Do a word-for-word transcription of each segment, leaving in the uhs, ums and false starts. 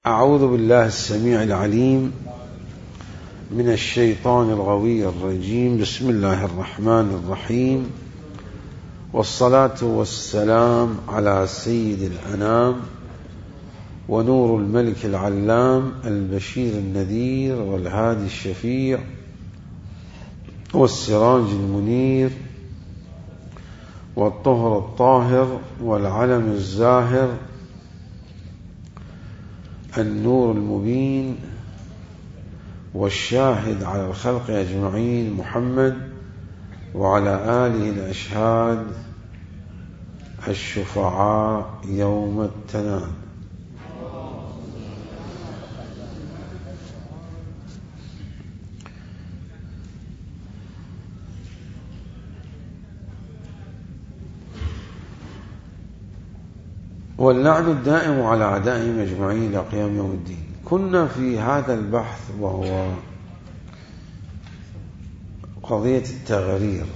أعوذ بالله السميع العليم من الشيطان الغوي الرجيم. بسم الله الرحمن الرحيم، والصلاة والسلام على سيد الأنام ونور الملك العلام البشير النذير والهادي الشفيع والسراج المنير والطهر الطاهر والعلم الزاهر النور المبين والشاهد على الخلق أجمعين محمد وعلى آله الأشهاد الشفعاء يوم التناد. واللعن الدائم على أعدائهم أجمعين إلى قيام يوم الدين. كنا في هذا البحث وهو قضية التغرير،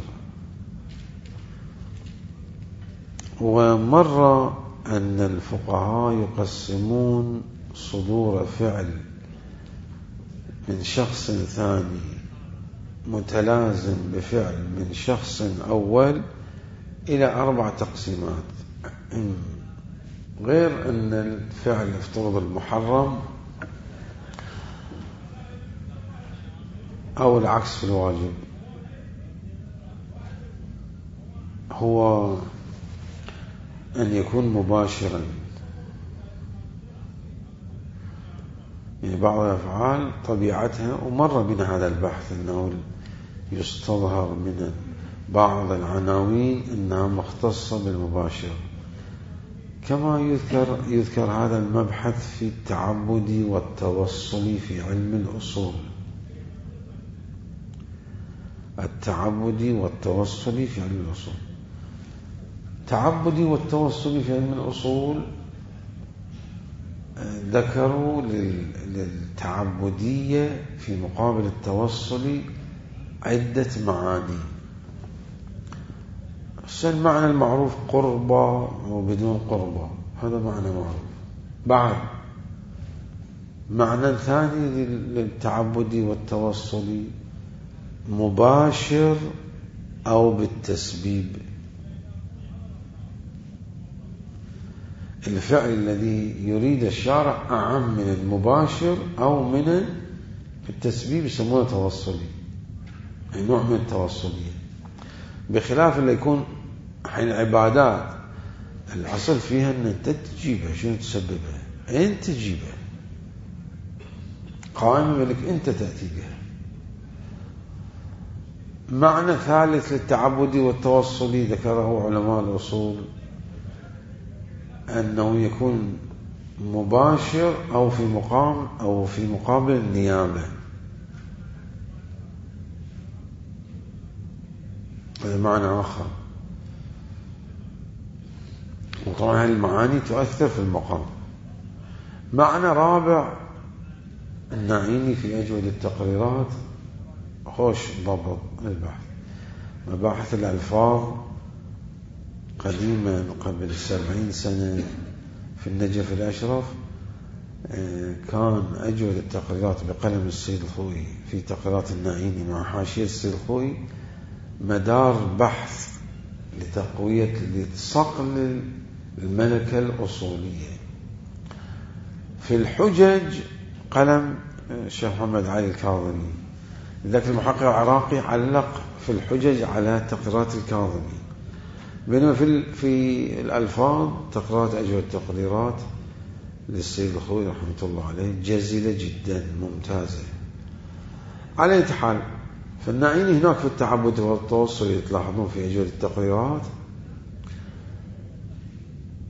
ومر أن الفقهاء يقسمون صدور فعل من شخص ثاني متلازم بفعل من شخص أول إلى أربع تقسيمات، غير أن الفعل افترض المحرم أو العكس في الواجب هو أن يكون مباشرا. يعني بعض الأفعال طبيعتها، ومر بنا هذا البحث، أنه يستظهر من بعض العناوين أنها مختصة بالمباشر، كما يذكر يذكر هذا المبحث في التعبد والتوصل في علم الأصول. التعبد والتوصل في علم الأصول. التعبد والتوصل في علم الأصول ذكروا للتعبدية في مقابل التوصل عدة معاني. المعنى المعروف قربة وبدون قربة، هذا معنى معروف. بعد معنى ثاني للتعبد والتوصل مباشر أو بالتسبيب. الفعل الذي يريد الشارع أعم من المباشر أو من التسبيب يسمونه توصلي، أي نوع من التوصلية، بخلاف اللي يكون حين العبادات الأصل فيها أن أنت تجيبها، شنو تسببها؟ أنت تجيبها قائمة لك، أنت تأتي بها. معنى ثالث للتعبد والتوصل ذكره علماء الأصول أنه يكون مباشر أو في مقام أو في مقابل النيابة. هذا معنى آخر، وطبعا المعاني تؤثر في المقام. معنى رابع النعيني في أجود التقريرات، خوش ضبط البحث، مباحث الألفاظ قديما قبل سبعين سنة في النجف الأشرف، كان أجود التقريرات بقلم السيد الخوئي في تقريرات النعيني مع حاشية السيد الخوئي مدار بحث لتقوية لصقل الملكة الأصولية. في الحجج قلم الشيخ محمد علي الكاظمي، ذاك المحقق العراقي علق في الحجج على تقريرات الكاظمي، بينما في في الألفاظ تقريرات أجود التقريرات للسيد الخوئي رحمة الله عليه جزيلة جدا ممتازة. على أي حال، فالنعيني هناك في التعبد والتوصل تلاحظون في أجود التقريرات،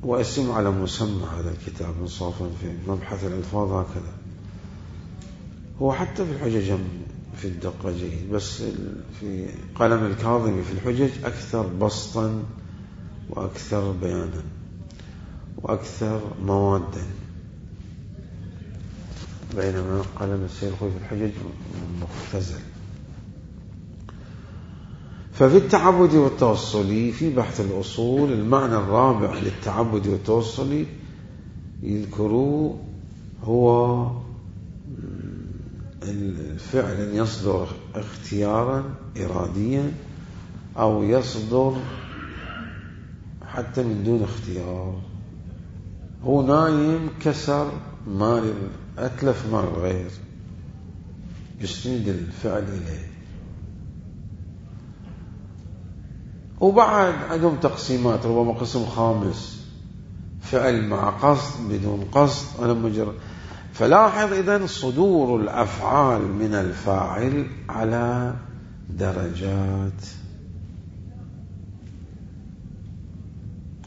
واسم على مسمى هذا الكتاب انصافا في مبحث الألفاظ هكذا. هو حتى في الحجج في الدقة جيد، بس في قلم الكاظمي في الحجج أكثر بسطا وأكثر بيانا وأكثر موادا، بينما قلم السيد الخوئي في الحجج مختزل. ففي التعبد والتوصل في بحث الأصول المعنى الرابع للتعبد والتوصل يذكروا هو الفعل يصدر اختيارا إراديا أو يصدر حتى من دون اختيار. هو نايم كسر مال، أتلف مال الغير، يسند الفعل إليه. وبعد عندهم تقسيمات، ربما قسم خامس فعل مع قصد بدون قصد أنا مجرد. فلاحظ إذن صدور الأفعال من الفاعل على درجات،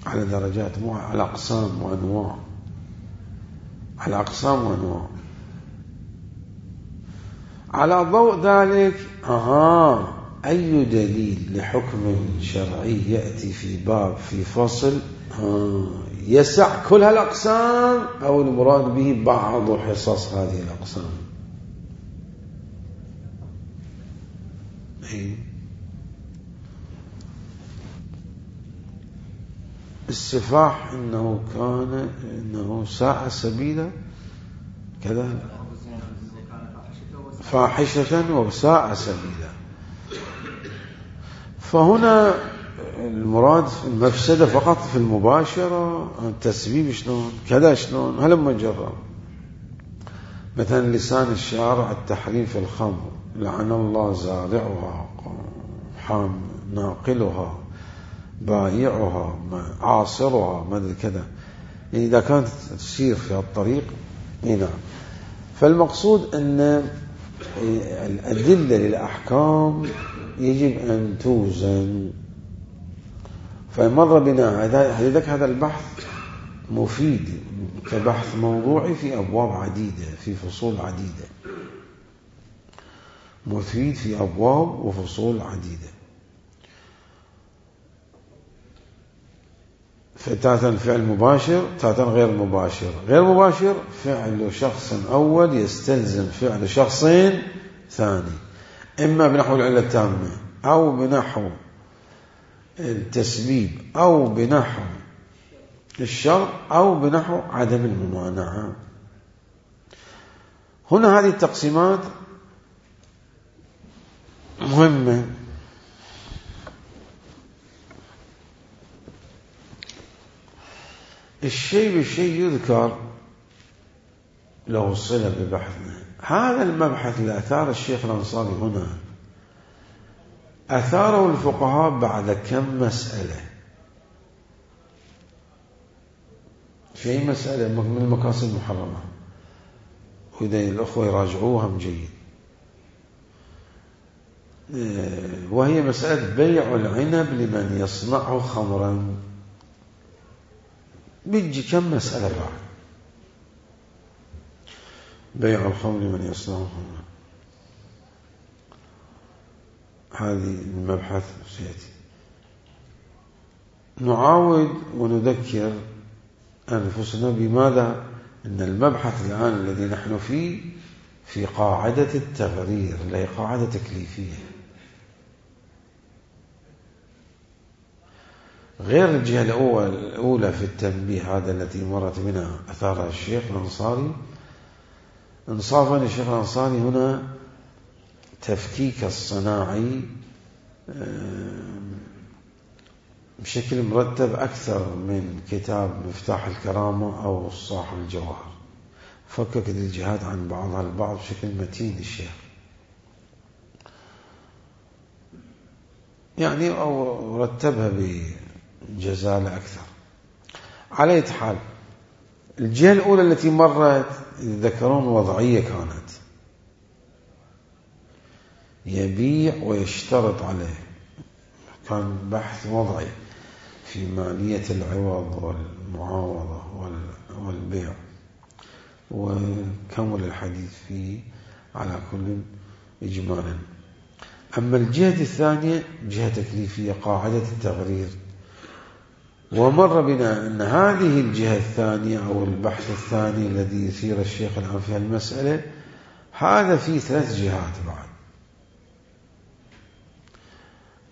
على درجات مو على أقسام وأنواع، على أقسام وأنواع. على ضوء ذلك أها أي دليل لحكم شرعي يأتي في باب في فصل يسع كل هالأقسام، أو المراد به بعض حصص هذه الأقسام. السفاح إنه كان إنه ساء سبيلا كذا، فاحشة وساء سبيلا. فهنا المراد المفسدة فقط في المباشرة، التسبيب شلون كذا شلون هلما جرب. مثلا لسان الشارع التحريم في الخمر، لعن الله زارعها حام ناقلها بايعها عاصرها ما ادري كذا، يعني إذا كانت تسير في الطريق. نعم. فالمقصود أن الأدلة للأحكام يجب أن توزن. فمر بنا هذا هذا البحث مفيد كبحث موضوعي في أبواب عديدة، في فصول عديدة، مفيد في أبواب وفصول عديدة. فتاتا الفعل مباشر، تاتا غير مباشر. غير مباشر فعل شخص أول يستلزم فعل شخصين ثاني، إما بنحو العلة التامة أو بنحو التسبيب أو بنحو الشرط أو بنحو عدم الممانعة. هنا هذه التقسيمات مهمة. الشيء بالشيء يذكر له صلة ببحثنا. هذا المبحث اللي أثار الشيخ الأنصاري هنا أثاره الفقهاء بعد كم مسألة، في مسألة من المقاصد المحرمة، وإذا الأخوة يراجعوها من جيد، وهي مسألة بيع العنب لمن يصنعه خمرا. بيجي كم مسألة بعد بيع الخمر لمن يصنعه خمرا. هذه المبحث سيأتي. نعاود ونذكر أنفسنا بماذا؟ أن المبحث الآن الذي نحن فيه في قاعدة التغرير، لا قاعدة تكليفية، غير الجهة الأولى في التنبيه هذا التي مرت بنا أثارها الشيخ الأنصاري. انصافا الشيخ الأنصاري هنا تفكيك الصناعي بشكل مرتب أكثر من كتاب مفتاح الكرامة أو صاحب الجواهر. فكك الجهات عن بعضها البعض بشكل متين الشيخ، يعني أو رتبها بجزالة أكثر. على أي حال، الجهة الأولى التي مرت يذكرون وضعية كانت، يبيع ويشترط عليه، كان بحث وضعي في مالية العوض والمعاوضة والبيع، وكمل الحديث فيه على كل إجمالا. أما الجهة الثانية جهة تكليفية، قاعدة التغرير. ومر بنا أن هذه الجهة الثانية أو البحث الثاني الذي يثير الشيخ الآن في المسألة، هذا فيه ثلاث جهات بعد.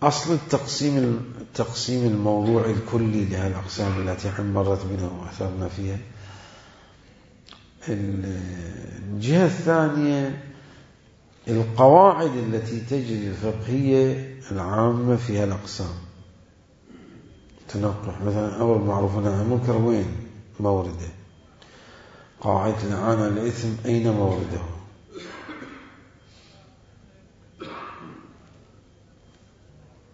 أصل التقسيم التقسيم الموضوعي الكلي لهذه الأقسام التي مرت بنا وأثرنا فيها، الجهة الثانية القواعد التي تجري الفقهية العامة فيها الأقسام تنقح. مثلا أمر معروف ونهي عن المنكر وين مورده؟ قاعدة الإعانة على الإثم أين مورده؟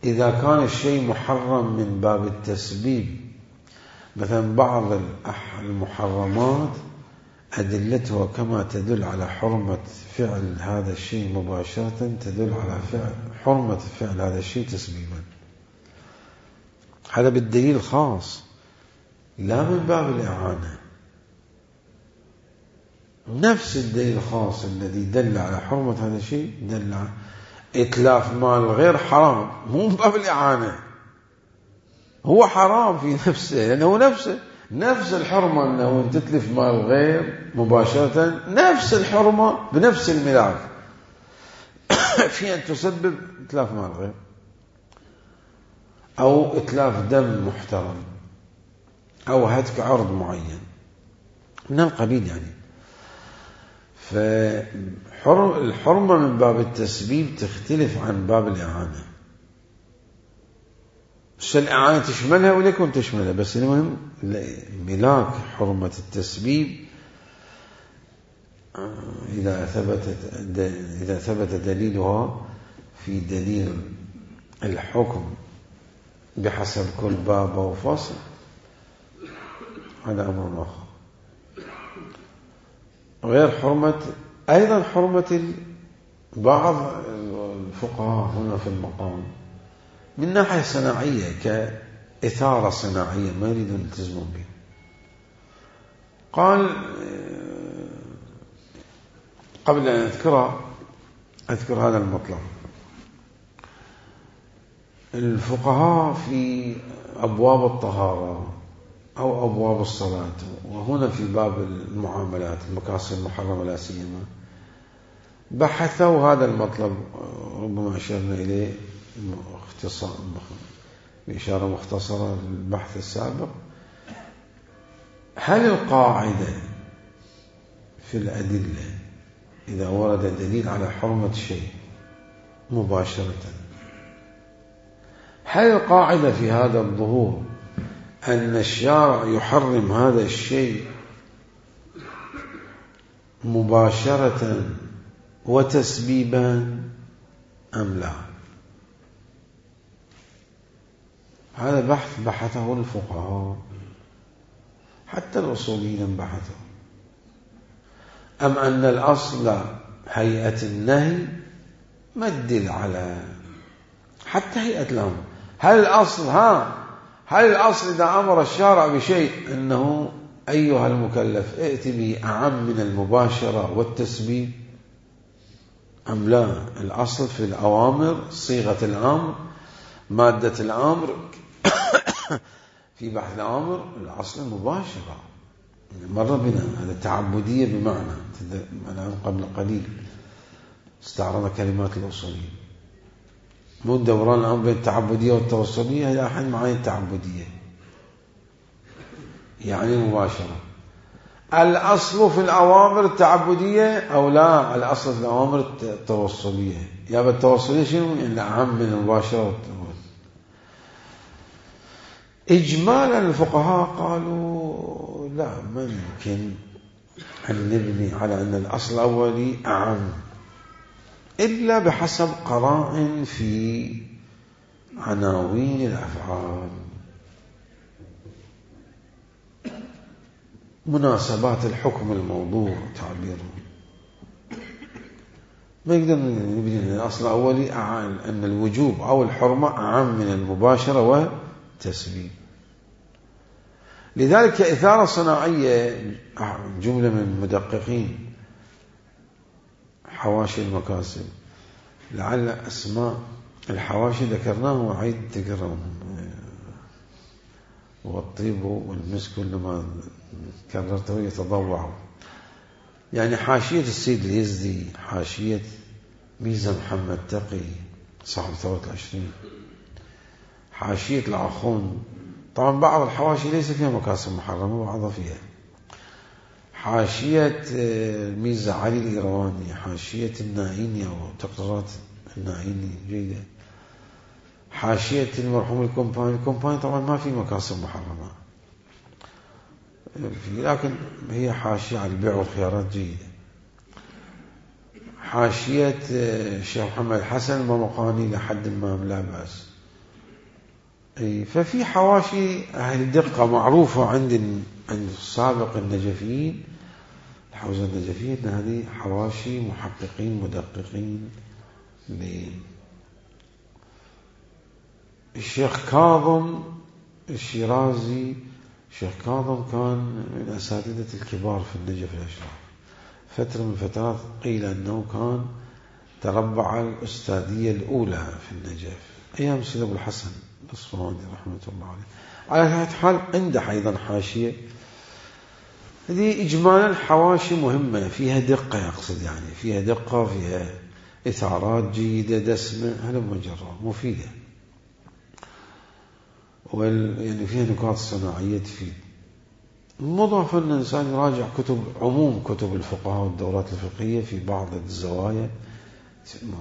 إذا كان الشيء محرم من باب التسبيب، مثلا بعض المحرمات أدلتها كما تدل على حرمة فعل هذا الشيء مباشرة تدل على فعل حرمة فعل هذا الشيء تسبيبا. هذا بالدليل الخاص لا من باب الإعانة. نفس الدليل الخاص الذي دل على حرمة هذا الشيء دل على إتلاف مال غير حرام، مو من باب الإعانة، هو حرام في نفسه لأنه نفسه نفس الحرمة أنه تتلف مال غير مباشرة، نفس الحرمة بنفس الملاك في أن تسبب إتلاف مال غير أو إتلاف دم محترم أو هتك عرض معين من القبيل. يعني فالحرمة من باب التسبيب تختلف عن باب الإعانة. بس الإعانة تشملها وليكن تشملها، بس المهم ملاك حرمة التسبيب إذا ثبتت إذا ثبت دليلها في دليل الحكم بحسب كل باب وفصل، هذا أمر آخر. غير حرمة أيضا حرمة بعض الفقهاء هنا في المقام من ناحية صناعية كإثارة صناعية ما يريدون يلتزمون بها. قال قبل أن أذكرها أذكر هذا المطلب. الفقهاء في أبواب الطهارة أو أبواب الصلاة، وهنا في باب المعاملات المكاسب المحرمة لا سيما، بحثوا هذا المطلب ربما أشرنا إليه اختصار بإشارة مختصرة للبحث السابق. هل القاعدة في الأدلة إذا ورد دليل على حرمة شيء مباشرة، هل القاعدة في هذا الظهور أن الشارع يحرم هذا الشيء مباشرة وتسبيبا أم لا؟ هذا بحث بحثه الفقهاء حتى الأصوليين بحثوا. أم أن الأصل هيئة النهي ما تدل على حتى هيئة الأمر؟ هل الأصل ها هل الأصل إذا أمر الشارع بشيء أنه أيها المكلف ائت به أعم من المباشرة والتسبيب أم لا؟ الأصل في الأوامر صيغة الأمر مادة الأمر في بحث الأمر الأصل المباشرة. مر بنا هذا التعبدية بمعنى قبل قليل استعرضنا كلمات الأصوليين، مو دوران الأمر بين التعبدية والتوصلية، هي أحد معاني التعبدية يعني مباشرة. الأصل في الأوامر التعبدية أو لا؟ الأصل في الأوامر التوصلية. يا بالتوصلية شنو؟ يعني أهم من المباشرة والتوصل. إجمالا الفقهاء قالوا لا، ما يمكن أن نبني على أن الأصل الأولي أعم إلا بحسب قرائن في عناوين الأفعال، مناسبات الحكم الموضوع تعبيره. ما يقدر نبني أن الأصل الأولي أعم، أن الوجوب أو الحرمة أعم من المباشرة والتسبيب. لذلك إثارة صناعية جملة من المدققين حواشي المكاسب، لعل أسماء الحواشي ذكرناه وعيد تقرأهم، والطيب والمسك كلما كررته يتضوع. يعني حاشية السيد اليزدي، حاشية ميزة محمد تقي صاحب ثورة العشرين، حاشية العخون. طبعا بعض الحواشي ليس فيها مكاسب محرمة وبعضها فيها. حاشية ميرزا علي الإيرواني، حاشية النائيني أو تقريرات النائيني جيدة. حاشية المرحوم الكومباني، الكومباني طبعا ما في مكاسب محرمة، لكن هي حاشية على البيع والخيارات جيدة. حاشية الشيخ محمد حسن الممقاني لحد ما لا بأس. ففي حواشي أهل دقة معروفة عند عند السابق النجفيين، الحوزة النجفية، أن هذه حواشي محققين مدققين. الشيخ كاظم الشيرازي، الشيخ كاظم كان من أساتذة الكبار في النجف الأشراف، فترة من الفترات قيل أنه كان تربع الأستاذية الأولى في النجف أيام سيد أبو الحسن الأصفهاني رحمة الله عليه. على هذا الحال عنده أيضا حاشية. هذه إجمالا حواشي مهمة فيها دقة، يقصد يعني فيها دقة، فيها إثارات جيدة دسمة، هذا مجرد مفيدة، يعني فيها نقاط صناعية تفيد. مضاف أن الإنسان يراجع كتب عموم كتب الفقهاء والدورات الفقهية في بعض الزوايا،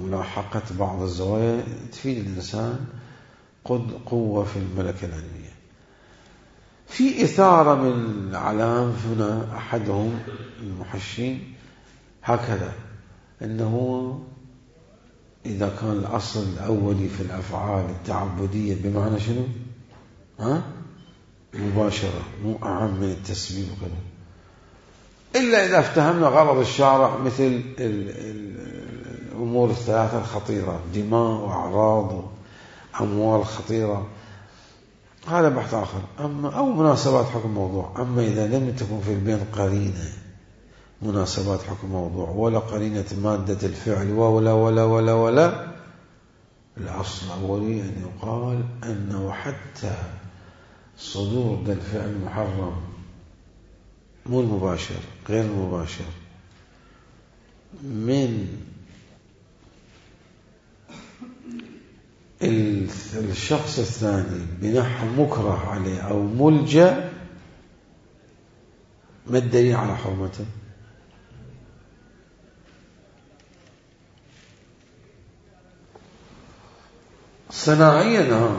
ملاحقة بعض الزوايا تفيد الإنسان قد قوة في الملكة العلمية. في إثارة من العلام هنا، أحدهم المحشين هكذا أنه إذا كان الأصل الأولي في الأفعال التعبدية بمعنى شنو؟ ها؟ مباشرة، مو أعم من التسبيب وكذا، إلا إذا افتهمنا غرض الشارع مثل الأمور الثلاثة الخطيرة، دماء وأعراض وأموال خطيرة، هذا بحث آخر. أما أو مناسبات حكم موضوع. أما إذا لم تكن في البين قرينة مناسبات حكم موضوع ولا قرينة مادة الفعل ولا ولا ولا ولا الأصل الأولي أن يقال أنه حتى صدور ذا الفعل محرم، مو المباشر، غير المباشر، من الشخص الثاني بنحو مكره عليه أو ملجأ، ما الدليل على حرمته؟ صناعيا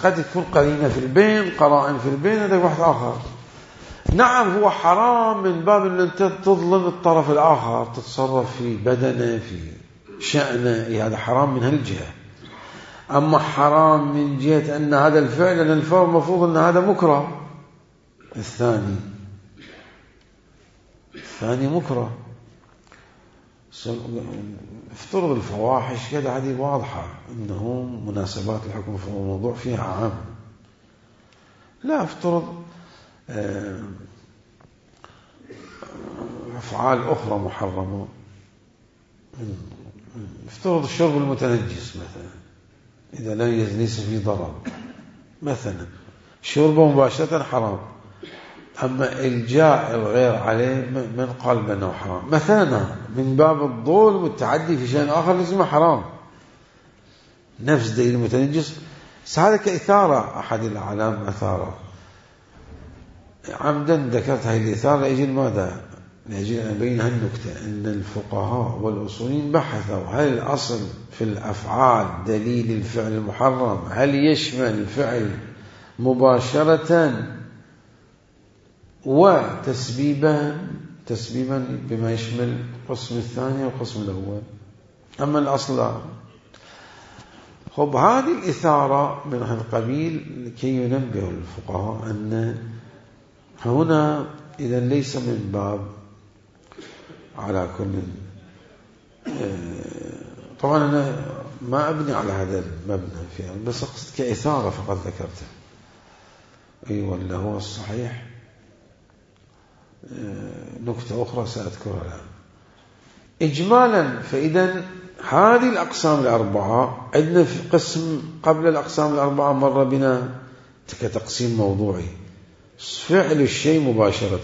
قد تكون قرينة في البين، قرائن في البين، هذا واحد آخر. نعم هو حرام من باب أن أنت تظلم الطرف الآخر، تتصرف في بدنه في شأنه، هذا حرام من هالجهة. أما حرام من جهة أن هذا الفعل، أن الفعل مفروض أن هذا مكره، الثاني الثاني مكره. افترض الفواحش كذا، هذه واضحة أنه مناسبات الحكم في الموضوع فيها عام. لا افترض أفعال أخرى محرمة، افترض الشرب المتنجس مثلا، إذا لا ليس فيه ضرر مثلا، شربه مباشرة حرام. أما الجاء الغير عليه من قال بأنه حرام مثلا، من باب الظلم والتعدي في شيء آخر لازم حرام، نفس دليل المتنجس. هذا كإثارة، أحد الأعلام أثاره عمدا، ذكرت هذه الإثارة لأجل ماذا؟ لأجل أن أبين هالنكتة، أن الفقهاء والأصولين بحثوا هل الأصل في الأفعال دليل الفعل المحرم هل يشمل الفعل مباشرة وتسبيبا تسبيبا بما يشمل القسم الثاني والقسم الأول. أما الأصل لا. خب هذه الإثارة من هذا القبيل لكي ينبه الفقهاء أن هنا إذا ليس من باب على كل. طبعا أنا ما أبني على هذا المبنى فيها، بس أقصد كإثارة فقط ذكرته. أي ولا هو الصحيح نكتة أخرى سأذكرها الآن. إجمالا فإذا هذه الأقسام الأربعة عندنا في قسم قبل الأقسام الأربعة مر بنا كتقسيم موضوعي، فعل الشيء مباشرة.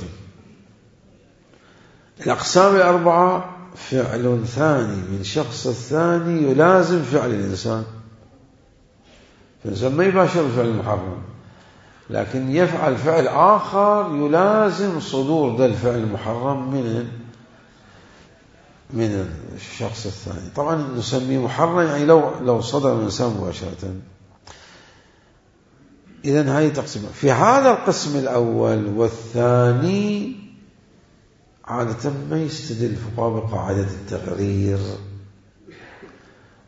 الأقسام الأربعة فعل ثاني من شخص الثاني يلازم فعل الإنسان، فالإنسان ما يباشر الفعل المحرم. لكن يفعل فعل آخر يلازم صدور ذا الفعل المحرم من من الشخص الثاني. طبعا نسميه محرم يعني لو لو صدر من الإنسان مباشرة. إذن هذه تقسيمات. في هذا القسم الأول والثاني عادة ما يستدل الفقهاء بقاعدة التغرير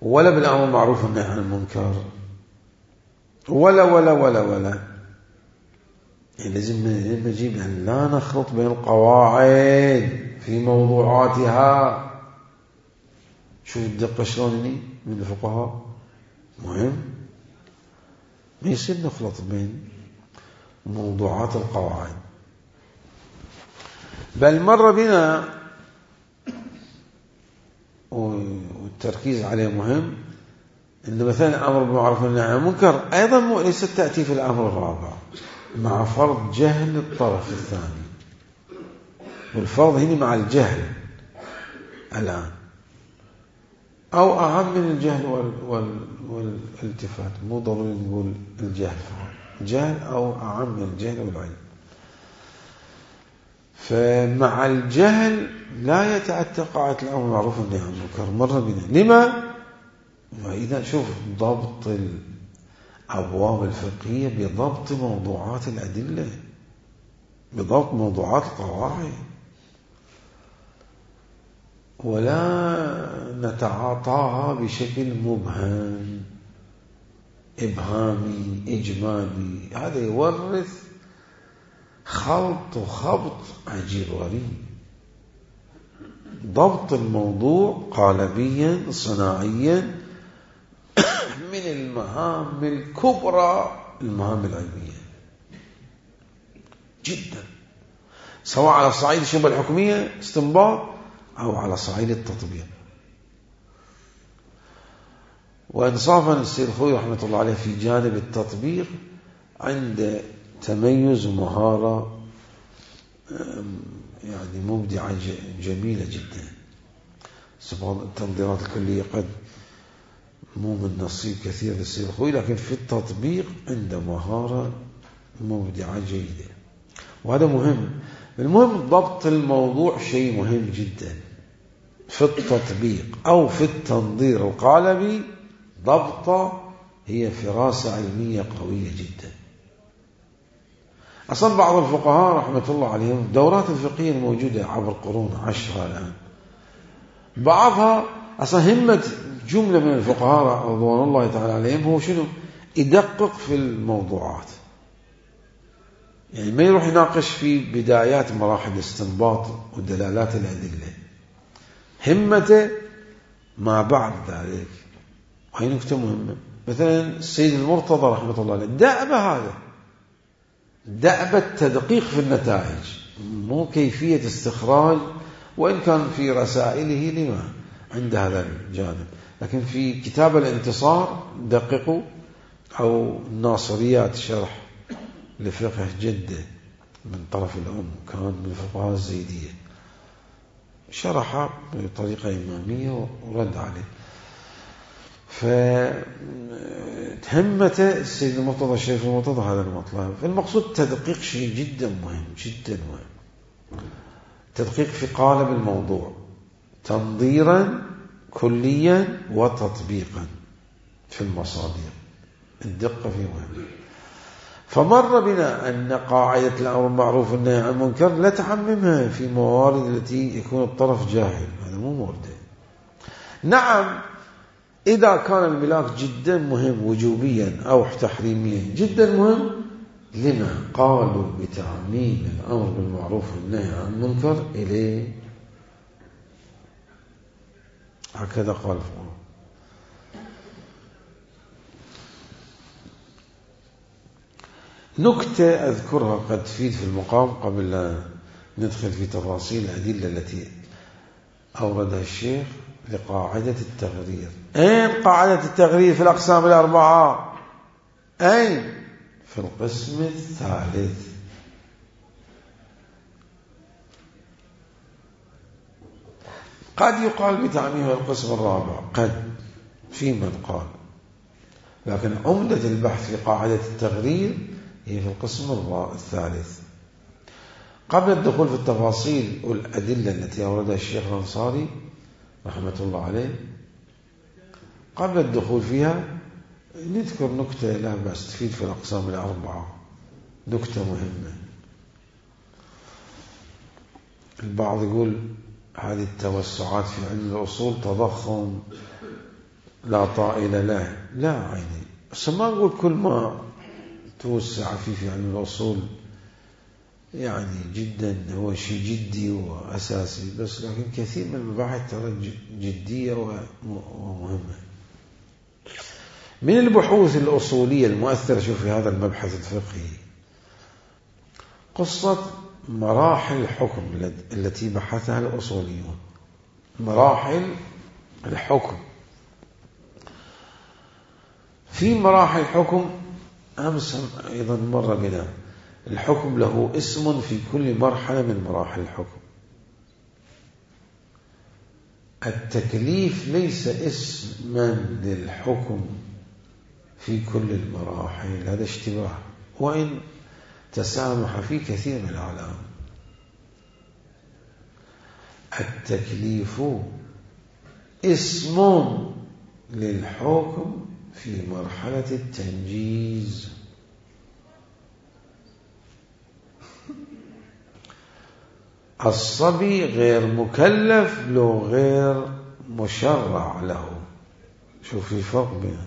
ولا بالأمر المعروف والنهي عن المنكر ولا ولا ولا ولا يعني لازم نجيب أن لا نخلط بين القواعد في موضوعاتها. شوف الدقة شلون من الفقهاء مهم، ما يصير نخلط بين موضوعات القواعد. بل مر بنا والتركيز عليه مهم إن مثلا الأمر بالمعروف والنهي عن المنكر أيضا ليست تأتي في الأمر الرابع مع فرض جهل الطرف الثاني، والفرض هنا مع الجهل الآن أو أهم من الجهل وال وال والالتفات. مو ضروري نقول الجهل جهل أو أعم من الجهل والعلم. فمع الجهل لا يتأتى قاعدة الأمر بالمعروف والنهي عن المنكر. مر بنا لما؟ وإذا شوف ضبط الأبواب الفقهية بضبط موضوعات الأدلة، بضبط موضوعات القواعد، ولا نتعاطاها بشكل مبهم إبهامي إجمالي. هذا يورث خلط وخبط عجيب غريب. ضبط الموضوع قالبيا صناعيا من المهام الكبرى، المهام العلمية جدا، سواء على صعيد الشبهة الحكمية استنباط أو على صعيد التطبيق. وإنصافا السيد الخوئي رحمة الله عليه في جانب التطبيق عند تميز ومهارة يعني مبدعة جميلة جدا. سبحان التنظيرات الكلية قد مو من نصيب كثير للسيد الخوئي، لكن في التطبيق عنده مهارة مبدعة جيدة، وهذا مهم. المهم ضبط الموضوع شيء مهم جدا في التطبيق أو في التنظير القالبي. ضبطه هي فراسة علمية قوية جدا. أصلا بعض الفقهاء رحمة الله عليهم الدورات الفقهية الموجودة عبر قرون عشرة الآن، بعضها أصلا همة جملة من الفقهاء رضوان الله تعالى عليهم هو شنو؟ يدقق في الموضوعات، يعني ما يروح يناقش في بدايات مراحل الاستنباط ودلالات الأدلة، همته ما بعد ذلك. وهي نكتة مهمة. مثلا السيد المرتضى رحمة الله عليه دأب هذا، دأب التدقيق في النتائج، مو كيفية استخراج، وإن كان في رسائله لما عند هذا الجانب، لكن في كتاب الانتصار دققوا، أو الناصريات شرح لفقه جدة من طرف الأم كان من الفقهاء الزيدية، شرحها بطريقة إمامية ورد عليه. فهمته السيد المرتضى الشريف المرتضى هذا المطلب. فالمقصود تدقيق شيء جدا مهم جدا مهم، تدقيق في قالب الموضوع تنظيرا كليا وتطبيقا في المصادر، الدقة فيه مهمة. فمر بنا أن قاعدة الأمر بالمعروف والنهي عن المنكر لا تعممها في موارد التي يكون الطرف جاهل، هذا مو مورد. نعم إذا كان الملاك جدا مهم وجوبيا أو تحريميا جدا مهم، لما قالوا بتعميم الأمر بالمعروف والنهي عن المنكر إليه؟ هكذا قال فقه. نكتة أذكرها قد تفيد في المقام قبل لا ندخل في تفاصيل الأدلة التي أوردها الشيخ لقاعدة التغرير. أين قاعدة التغرير في الأقسام الأربعة؟ أين؟ في القسم الثالث. قد يقال بتعميم القسم الرابع، قد في من قال، لكن عمدة البحث في قاعدة التغرير هي في القسم الثالث. قبل الدخول في التفاصيل والأدلة التي أوردها الشيخ الأنصاري رحمة الله عليه، قبل الدخول فيها نذكر نكتة لا بأس تفيد في الأقسام الأربعة، نكتة مهمة. البعض يقول هذه التوسعات في علم الأصول تضخم لا طائل له، لا عيني، بس ما نقول كل ما توسع فيه في علم الأصول يعني جدا هو شيء جدي وأساسي، بس لكن كثير من المباحث ترى جدية ومهمة. من البحوث الأصولية المؤثرة شوف في هذا المبحث الفقهي قصة مراحل الحكم التي بحثها الأصوليون. مراحل الحكم، في مراحل الحكم أمس أيضا مر بنا، الحكم له اسم في كل مرحلة من مراحل الحكم. التكليف ليس اسما للحكم في كل المراحل، هذا اشتباه، وإن تسامح في كثير من الأعلام. التكليف اسم للحكم في مرحلة التنجيز. الصبي غير مكلف لو غير مشرع له. شوف الفرق بين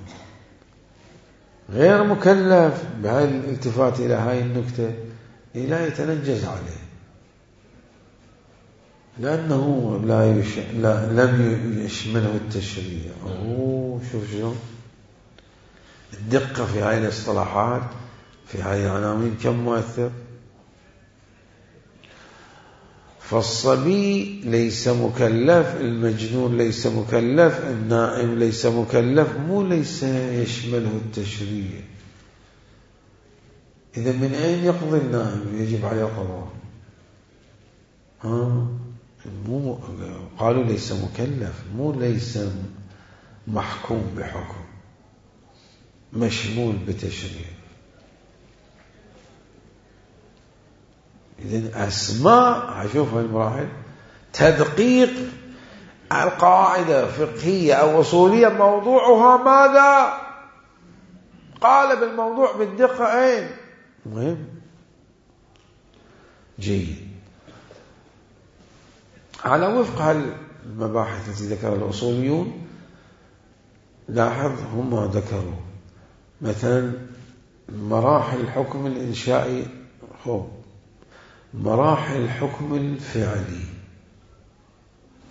غير مكلف بهاي الالتفات إلى هاي النكتة لا يتنجز عليه لأنه لا, يش... لا لم يشمله التشريع. أوه شوف شو الدقة في هاي الاصطلاحات، في هاي العناوين كم مؤثر. فالصبي ليس مكلف، المجنون ليس مكلف، النائم ليس مكلف، مو ليس يشمله التشريع. إذا من أين يقضي النائم؟ يجب عليه القضاء. ها مو قالوا ليس مكلف، مو ليس محكوم بحكم، مشمول بتشريع. إذن أسماء هشوف هاي المراحل تدقيق القاعدة فقهية أو أصولية موضوعها ماذا؟ قال بالموضوع بالدقة أين؟ مهم جيد. على وفق المباحث التي ذكرها الأصوليون لاحظ هم ذكروا مثلا مراحل الحكم الإنشائي، هو مراحل الحكم الفعلي.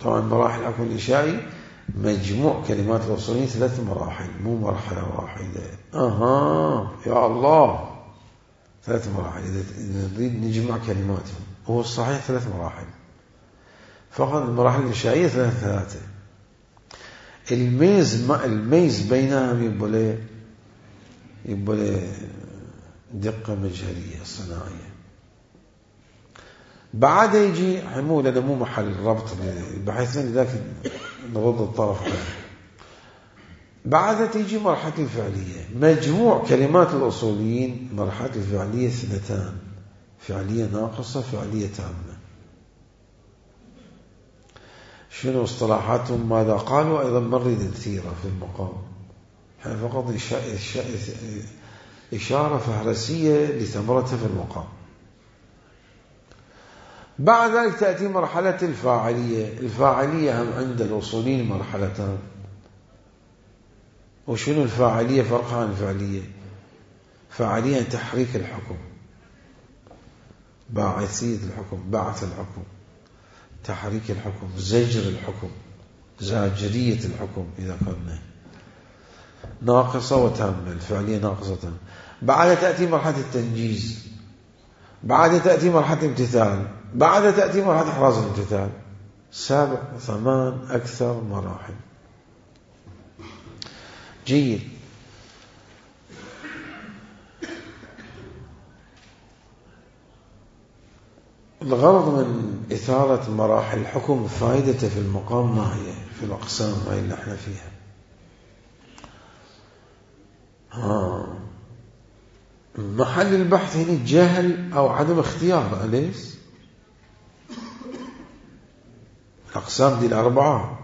طبعا مراحل الحكم الإنشائي مجموع كلمات الأصوليين ثلاث مراحل مو مرحلة واحدة. أها يا الله، ثلاث مراحل إذا نريد نجمع كلماتهم، هو الصحيح ثلاث مراحل فقط. المراحل الإنشائية ثلاث ثلاثة. الميز الميز بينهم يبقى له يبقى له دقة مجهرية صناعية. بعد يجي حمول، هذا مو محل ربط بحيث لذلك نرد الطرف عنه. بعد تيجي مرحلة الفعلية. مجموع كلمات الأصوليين مرحلة الفعلية اثنتان، فعلية ناقصة فعلية تامة. شنو اصطلاحاتهم ماذا قالوا أيضا مرد كثيرة في المقام، يعني فقط إشارة فهرسية لثمرتها في المقام. بعد ذلك تأتي مرحلة الفاعلية. الفاعلية هم عند الأصوليين مرحلتان. وشنو الفاعلية؟ فرقها عن الفعلية. فاعلية تحريك الحكم، باعثية الحكم، بعث الحكم، تحريك الحكم، زجر الحكم، زاجرية الحكم إذا قلنا. ناقصة وتامة، الفعلية ناقصة وتامة. بعد تأتي مرحلة التنجيز، بعد تأتي مرحلة الامتثال، بعد تأتي مرحلة إحراز الامتثال. سبع ثمان أكثر مراحل. جيد. الغرض من إثارة مراحل الحكم فائدته في المقام ما هي؟ في الأقسام هاي اللي احنا فيها. ها محل البحث هنا جهل أو عدم اختيار. أليس الأقسام دي الأربعة؟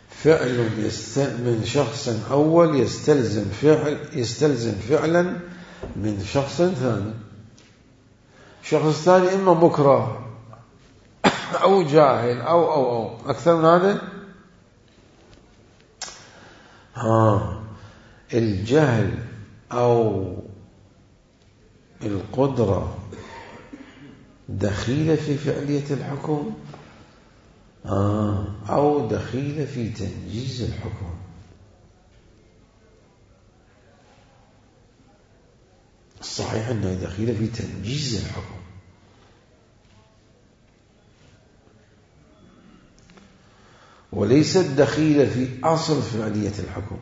فعل من شخص أول يستلزم فعل يستلزم فعلا من شخص ثاني. شخص ثاني إما مكره أو جاهل أو أو أو أكثر من هذا. ها الجهل أو القدرة دخيلة في فعلية الحكم آه أو دخيلة في تنجيز الحكم. الصحيح أنها دخيلة في تنجيز الحكم، وليست دخيلة في أصل فعلية الحكم.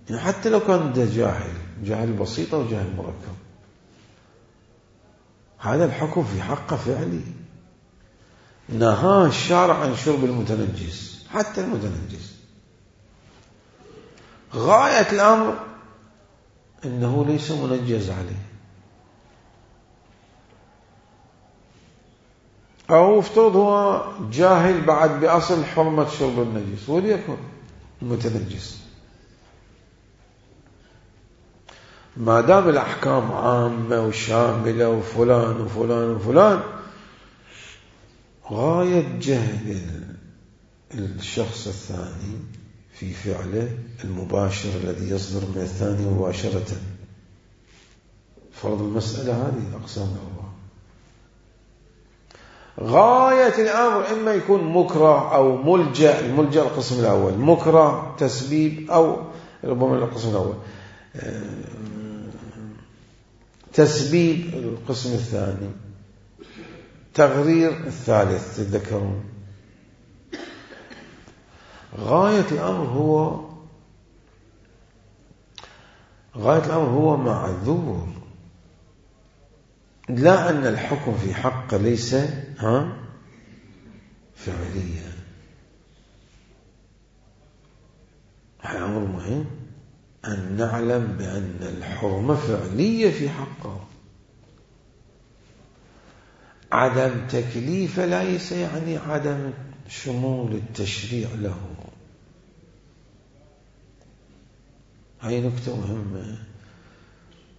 يعني حتى لو كان ده جاهل جاهل بسيط أو جاهل مركب، هذا الحكم في حقه فعلي. نهى الشارع عن شرب المتنجس، حتى المتنجس غاية الأمر إنه ليس منجز عليه. أو افترض هو جاهل بعد بأصل حرمة شرب النجس وليكن المتنجس، ما دام الأحكام عامة وشاملة وفلان وفلان وفلان، غاية جهل الشخص الثاني في فعله المباشر الذي يصدر من الثاني مباشرة. فرض المسألة هذه الأقسام الأربعة. غاية الأمر إما يكون مكره أو ملجأ. الملجأ القسم الأول، مكره تسبيب أو ربما القسم الأول تسبيب القسم الثاني، تغرير الثالث. تتذكرون غاية الأمر هو غاية الأمر هو معذور، لا أن الحكم في حقه ليس ها فعليا. هذا أمر مهم أن نعلم بأن الحرمة فعلية في حقه. عدم تكليف ليس يعني عدم شمول التشريع له. هاي نكتة مهمة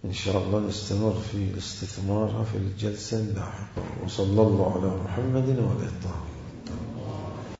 إن شاء الله نستمر في استثمارها في الجلسة اللاحقة. وصلى الله على محمد وعلى آله.